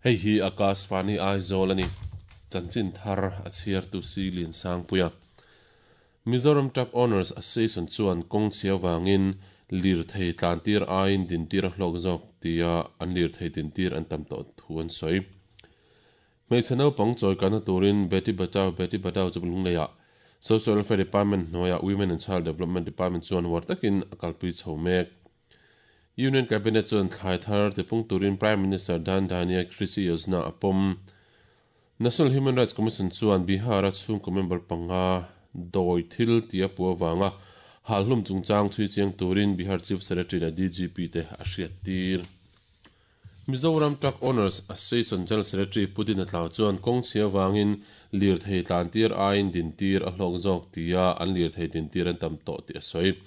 Hei hi Akashvani Aizawl a ni. Chanchin thar a chhiartu si Liansangpuia. Mizoram Truck Owners Association chuan kawng chhia vangin lirthei tlantir aiin dintir a hlawk zawk tia an lirthei dintir an tam tawh thu an sawi. Hmeichhe naupang chawikahna turin Beti Bachao Beti Padhao chu lungleiah Social Welfare Department hnuaiah Women and Child Development Department chuan uar takin a kalpui chho mek. Union Cabinet chuan thlai thar tipung turin Prime Minister Dhan Dhanya Krishi Yojana a pawm. National Human Rights Commission chuan Bihar-a chhungkaw member panga dawi thil tia pu avanga halhlum chungchang chhui chiang turin Bihar Chief Secretary leh DGP te a hriattir. Mizoram Truck Owners Association General Secretary Pu Dina Tlau chuan kawng chhia vangin lirthei tlantir aiin dintir a hlawk zawk tia an lirthei dintir an tam tawh tih a sawi.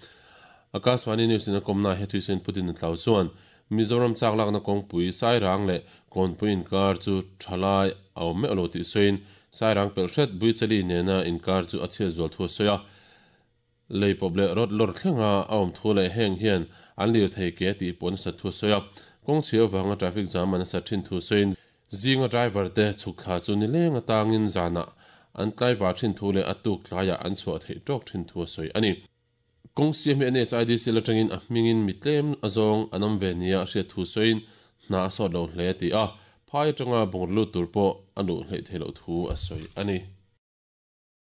Akashvani News in a kawmna he thuisawiin Pu Dina Tlau chuan Mizoram chak lakna kawngpui Sairang leh Kawnpui inkar chu thalai a awm meuh lo tih sawiin Sairang pelh hret Buichali nena inkar chu a chhiat zual thu a sawi a. Lei pawp leh rawt lawr thlenga a awm thu leh heng hian an lirthei ke tih pawh nasa thu a sawi a, kawng chhia avanga traffic jam a nasa thin thu sawiin zinga driver te chhuk thla chu nileng atangin zanah an tlaivar thin thu leh a tuk tlaiah an chhuah theih tawk thin thu a sawi a ni. Kawng siam hi NHIDC la tangin a hmingin mi tlem a zawng an awm ve nia a hriat thu sawiin hna a sawt lo hle a ti a, phai atanga bungraw lut tur pawh a luh hleih theih loh thu a sawi a ni.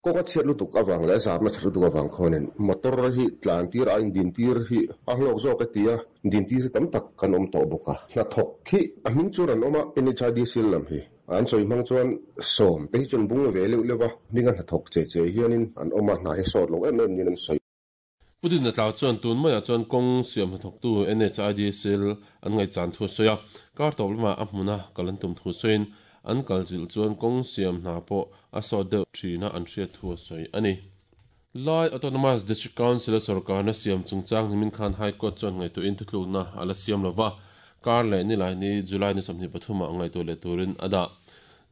Kawng a chhiat lutuk avang leh a zahna that lutuk avang khuanin motor hi tlan tir aiin din tir hi a hlawk zawk e tia din tir hi tam tak kan awm tawh bawk a. Hnathawk hi a hming chuan an awm a, NHIDC lam hi an sawi hmang chuan sawm te hi chuan bung ve leuh leuh a, hminga hnathawk che che hianin an awm a, hna hi sawt lo em em niin an sawi. Pu Dinna Tlau chuan tun maiah chuan kawng siam hnathawktu NHIDC an ngaihchan thu a sawi a, kar tawp lamah a hmuna kal an tum thu sawiin an kal zilh chuan kawng siam hna pawh a sawt deuh thina an hriat thu a sawi a ni. Lai Autonomous District Council-a sorkarna siam chungchang nimin khan High Court chuan ngaihtuahin thutlukna a la siam lova, kar leh nilai ni July ni 23 ah ngaihtuah leh turin a dah.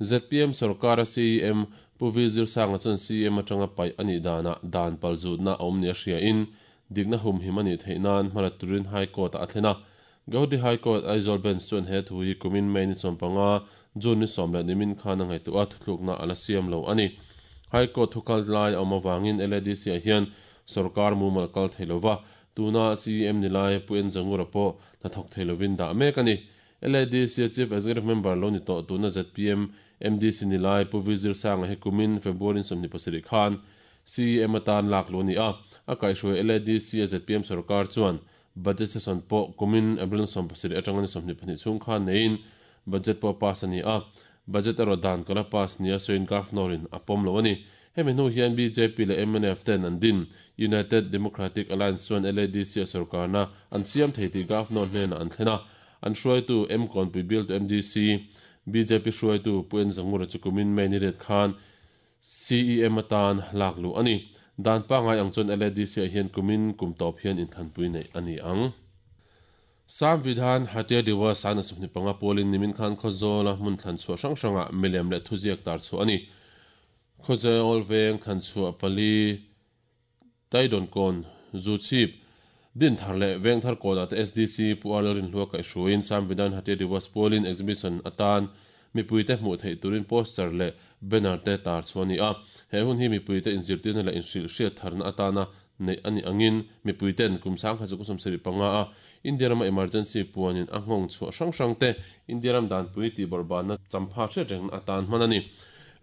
Zpm sorkara CEM Pu Vi Zirsanga chuan CEM atanga paih a nih danah dan palzutna a awm nia hriain dikna humhim a nih theih nan hmalat turin High Court-ah a thlen a. Gauhati High Court Aizawl Bench chuan he thu hi kumin May ni 15, June ni 10 leh nimin khan a ngaihtuah a, thuthlukna a la siam lo a ni. High Court thukal lai a awm avangin LADC-ah hian sorkar mumal kal thei lova, tuna CEM ni lai Pu En Zangura pawh hnathawk thei lovin dah mek a ni. LADC Chief Executive Member lo ni tawh tuna zpm MDC ni lai Pu Vi Zirsanga hi kumin February 27 khan CEM atan lak luh a ni a, a kaihhruai LADC a zpm sorkar chuan Budget session pawh kumin April 17 atanga ni 22 chhung khan neiin Budget pawh pass a ni a, Budget erawh dan kala pass nia sawiin Governor-in a pawm lo a ni. Hemi hnu hian bjp leh mnf ten an din United Democratic Alliance chuan LADC a sorkarna an siam thei tih Governor hnenah an thlen a, An hruaitu M Kawnpui bialtu MDC, bjp hruaitu Pu En Zangura chu kumin May ni riat khan CEM atan lak luh a ni. Dan pangngai ang chuan LADC ah hian kumin kum tawp hian inthanpui neih a ni ang. Sam Vidhan Hatia Diwas a 25 pawlin nimin khan Khawzawla hmun thlan chhuah hrang hrangah milem leh thuziak tar chhuah a ni. Khawzawl veng thlan chhuah pali Taidawnkawn, Zuchhip, Dinthar leh Vengthar kawnah te SDC Pu Arlal Rinhlua kaihhruaiin Samvidhan Hatia Diwas pualin exhibition atan mipuite hmuh theih turin poster leh banner te tar chhuah a ni a. He hun hi mipuite inzirtirna leh inhrilh hriat tharna atana neih a nih angin mipuiten kum 1975 a India rama emergency puanin a nghawng chhuah hrang hrang te India ram danpui tihbawrhbanna champha hriat rengna atan hman a ni.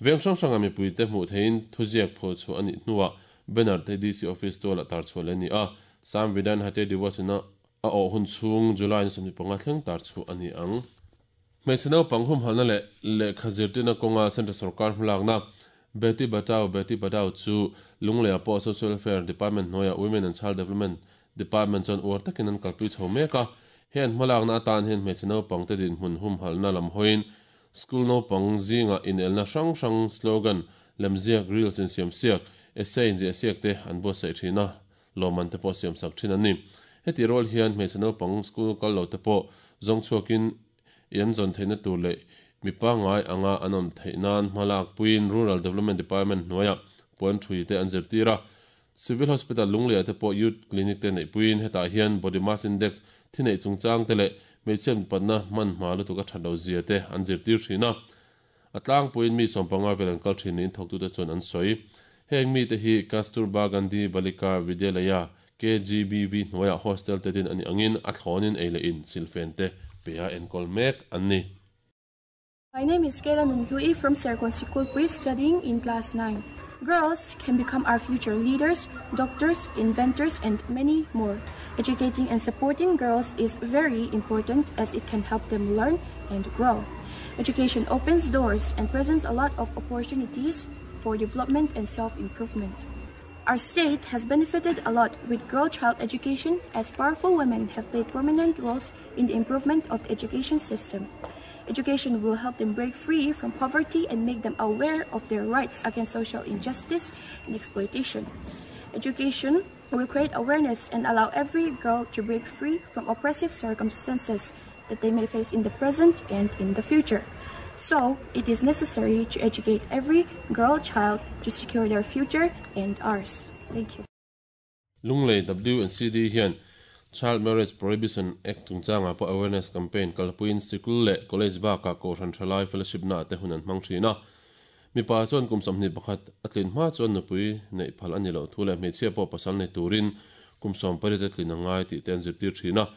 Veng hrang hranga mipuite hmuh theihin thuziak phuah chhuah a nih hnuah Banner te DC Office tualah tar chhuah leh a ni a, Sam Vidhan Hate Diwas ina a awh hun chhung July ni 25 thleng tar chhuah a ni ang. Hmeichhe naupang humhalhna leh lehkha zirtirna kawnga Central Sorkar hmalakna Beti Bachao Beti Padhao chu Lungleiah pawh Social Welfare Department hnuaiah Women and Child Development Department chuan uar takin an kalpui chho mek a. He an hmalakna atan hian hmeichhe naupangte dinhmun humhalhna lam hawiin School naupang zingah inelna hrang hrang slogan, lemziak, reels insiamsiak, essay inziahsiak te an buatsaih thin a, lawmman te pawh siamsak thin an ni. Hetih rual hian hmeichhe naupang school kal lo te pawh zawng chhuakin i an zawn theihna tur leh mi pangngai anga an awm theih nan hma lak puiin Rural Development Department hnuaiah puan thui te an zirtir a. Civil Hospital Lungleiah te pawh Youth Clinic te neih puiin hetah hian Body Mass Index thi neih chungchang te leh Hmeichhiat mipatna hman hma lutuk a that lo zia te an zirtir thin a. A tlangpuiin mi 15 vel an kal thin niin thawktute chuan an sawi. Heng mite hi Kasturba Gandhi Balika Vidyalaya, KGBV, hnuaiah hostel te din a nih angin a thlawnin ei leh in silfen te pe a enkawl mek an ni. My name is Kayla Nunhui from Serkawn Sikul Pui studying in class 9. Girls can become our future leaders, doctors, inventors and many more. Educating and supporting girls is very important as it can help them learn and grow. Education opens doors and presents a lot of opportunities for development and self-improvement. Our state has benefited a lot with girl child education as powerful women have played prominent roles in the improvement of the education system. Education will help them break free from poverty and make them aware of their rights against social injustice and exploitation. Education will create awareness and allow every girl to break free from oppressive circumstances that they may face in the present and in the future. So, it is necessary to educate every girl child to secure their future and ours. Thank you. Lunglei WNCD hian Child Marriage Prohibition Act chungchangah pawh awareness campaign kalpuiin sikul leh college bakah Kohhran Thalai Fellowship na te hun an hmang thin a. Mipa chuan kum 21 a tlin hma chuan nupui neih phal a ni loh thu leh hmeichhia pawh pasal nei turin kum 18 a tlin a ngai tih te an zirtir thin a.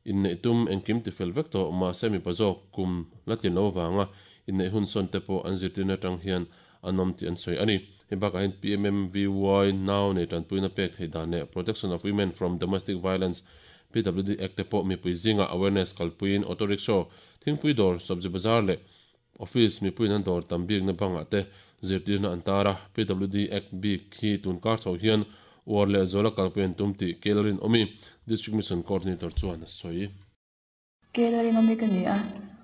Inneih tum engkim ti fel vek tawh mahse mipa zawk kum la tlin lo avanga inneih hun sawn te pawh an zirtirna atang hian an awm tih an sawi a ni. Hei bakah hian PMMVY nau nei tanpuina pek theih dan leh Protection of Women from Domestic Violence, PWD, Act te pawh mipui zingah awareness kalpuiin auto rickshaw, thingpui dawr, sabzi bazar leh office mipuiin an dawr tam bikna bangah te zirtirna an tar a. PWD Act bik hi tun kar chho hian uar leh zuala kalpui an tum tih Kelarin Awmi, District Mission Coordinator chuan a sawi. Kelarin Awmi ka ni a,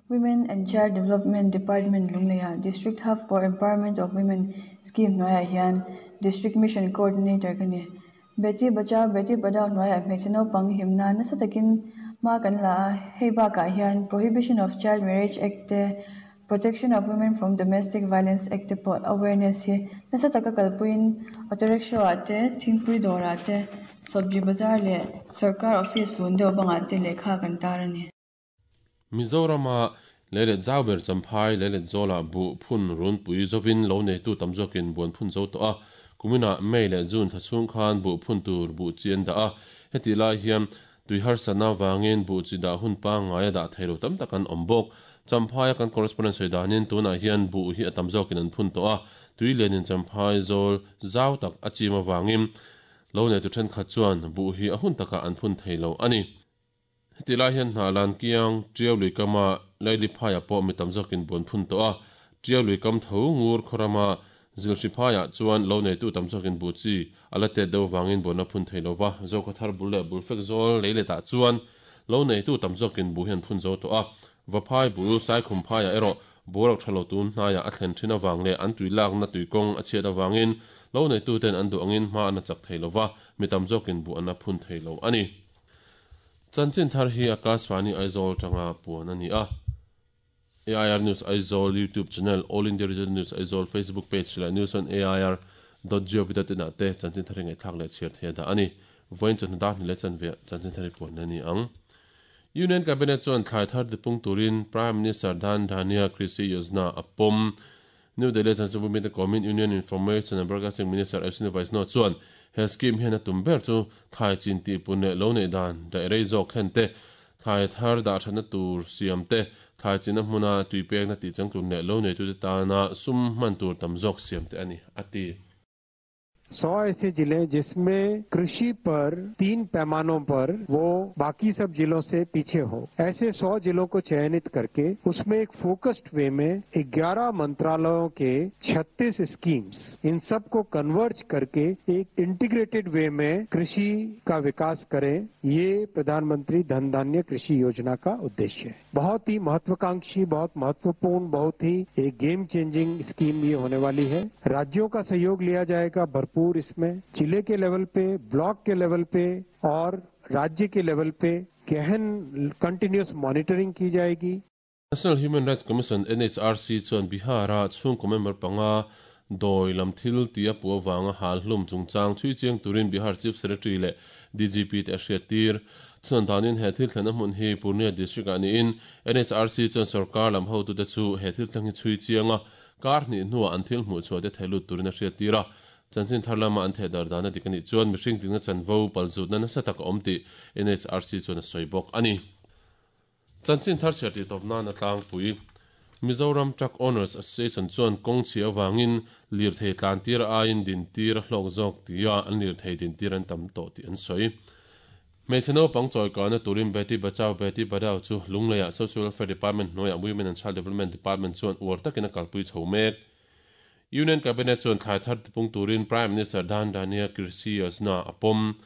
Women and Child Development Department Lungleiah District Hub for Empowerment of Women Scheme hnuaiah hian District Mission Coordinator ka ni. Beti Bachao Beti Padhao hnuaiah hmeichhe naupang himna nasa takin hma kan la a, hei bakah hian Prohibition of Child Marriage Act te, Protection of Women from Domestic Violence Act te pawh awareness hi nasa taka kalpuiin auto rickshaw ah te, thingpui dawrah te, sabji bazar leh sorkar office lun deuh bangah te lehkha kan tar a ni. Mizorama Leilet zau ber Champhai Leilet zawlah buh phun runpui zovin lo neitu tam zawkin buan phun zo tawh a, kuminah May leh June thla chhung khan buh phun tur buh chi an dah a, hetih lai hian tui harsatna avangin buh chi dah hun pangngai a dah thei lo tam tak an awm bawk. Champhaia kan correspondent sawi danin tunah hian buh hi a tam zawkin an phun tawh a, tui lianin Champhai zawl zau tak a chim avangin lo neitu thenkhat chuan buh hi a hun takah an phun thei lo a ni. Heti lai hian hnah lan kiang Tiau lui kama Laili phaiah pawh mi tam zawkin buan phun tawh a, Tiau lui kam tho ngur khaw rama Zilhri phaiah chuan lo neitu tam zawkin buh chi a la tet deuh vangin buan a phun thei lo va, Zokhawthar thar bul leh bulfek zawl lei letah chuan lo neitu tam zawkin buh hi an phun zo tawh a, Vaphai bul Saikhum phaiah erawh boruak tha lo tun hnaiah a thlen thin avang leh an tui lakna tuikawng a chhiat avangin lo neituten an duh angin hma an la chak thei lo va, mi tam zawkin buh an la phun thei lo a ni. Chanchin thar hi Akashvani Aizawl tanga puan a ni a. AIR News Aizawl YouTube channel, All India Radio News Aizawl Facebook page leh News on AIR dot gov dot in ah te chanchin thar hi ngaihthlak leh chhiar thei a dah a ni. Vawiin chawhnu dar hnih leh chanve chanchin thar hi puan a ni ang. Union Cabinet chuan thlai thar tipung turin Prime Minister Dhan Dhanya Krishi Yojana a pawm. New Delhi chanchin bumite kawmin Union Information and Broadcasting Minister Ashwini Vaishnaw chuan he scheme hian a tum ber chu thlai chin tihpun leh lo neih dan daih rei zawk thlen te, thlai thar dah thatna tur siam te, thlai chinna hmuna tui pekna tih changtlun leh lo neitute tana sum hman tur tam zawk siam te a ni, a ti. 100 ऐसे जिले जिसमें कृषि पर 3 पैमानों पर वो बाकी सब जिलों से पीछे हो, ऐसे 100 जिलों को चयनित करके उसमें एक फोकस्ड वे में 11 मंत्रालयों के 36 स्कीम्स, इन सब को कन्वर्ज करके एक इंटीग्रेटेड वे में कृषि का विकास करें, ये प्रधानमंत्री धन धान्य कृषि योजना का उद्देश्य है। बहुत ही महत्वाकांक्षी, बहुत महत्वपूर्ण, बहुत ही एक game changing scheme ये होने वाली है। राज्यों का सहयोग लिया जाएगा भरपूर इसमें, जिले के लेवल पे, ब्लॉक के लेवल पे और राज्य के लेवल पे गहन कंटिन्यूअस मॉनिटरिंग की जाएगी। National Human Rights Commission, NHRC, chuan Bihar-a chhungkaw member panga dawi lam thil tia puh avanga hal hlum chungchang chhui chiang turin Bihar Chief Secretary leh DGP te a hriat tir. Chuan danin he thil thlenna hmun hi Purnia district ah niin NHRC chuan sorkar lam hotute chu he thil thleng hi chhui chiang a, kar hnih hnuah an thil hmuh chhuah te thehlut turin a hriattir a. Chanchin thar lama an theh dar dan a dik a nih chuan mihring dikna chanvo palzutna nasa tak a awm tih NHRC chuan a sawi bawk a ni. Chanchin thar chhiar tih tawp nan a tlangpui. Mizoram Truck Owners Association chuan kawng chhia avangin lirthei tlan tir aiin din tir a hlawk zawk tia an lirthei din tir an tam tawh tih an sawi. Hmeichhe naupang chawikahna turin Beti Bachao Beti Padhao chu Lungleiah Social Welfare Department hnuaiah Women and Child Development Department chuan uar takin a kalpui chho mek. Union Cabinet chuan thlai thar tipung turin Prime Minister Dhan Dhaniya Krishi Yojana a pawm.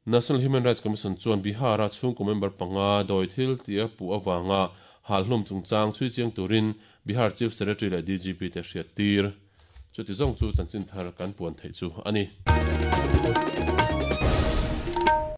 National Human Rights Commission chuan Bihar-a chhungkaw member panga dawi thil tia puh avanga halhlum chungchang chhui chiang turin Bihar Chief Secretary leh DGP te hriat tir. Chuti zawng chu chanchin thar kan puan theih chu a ni.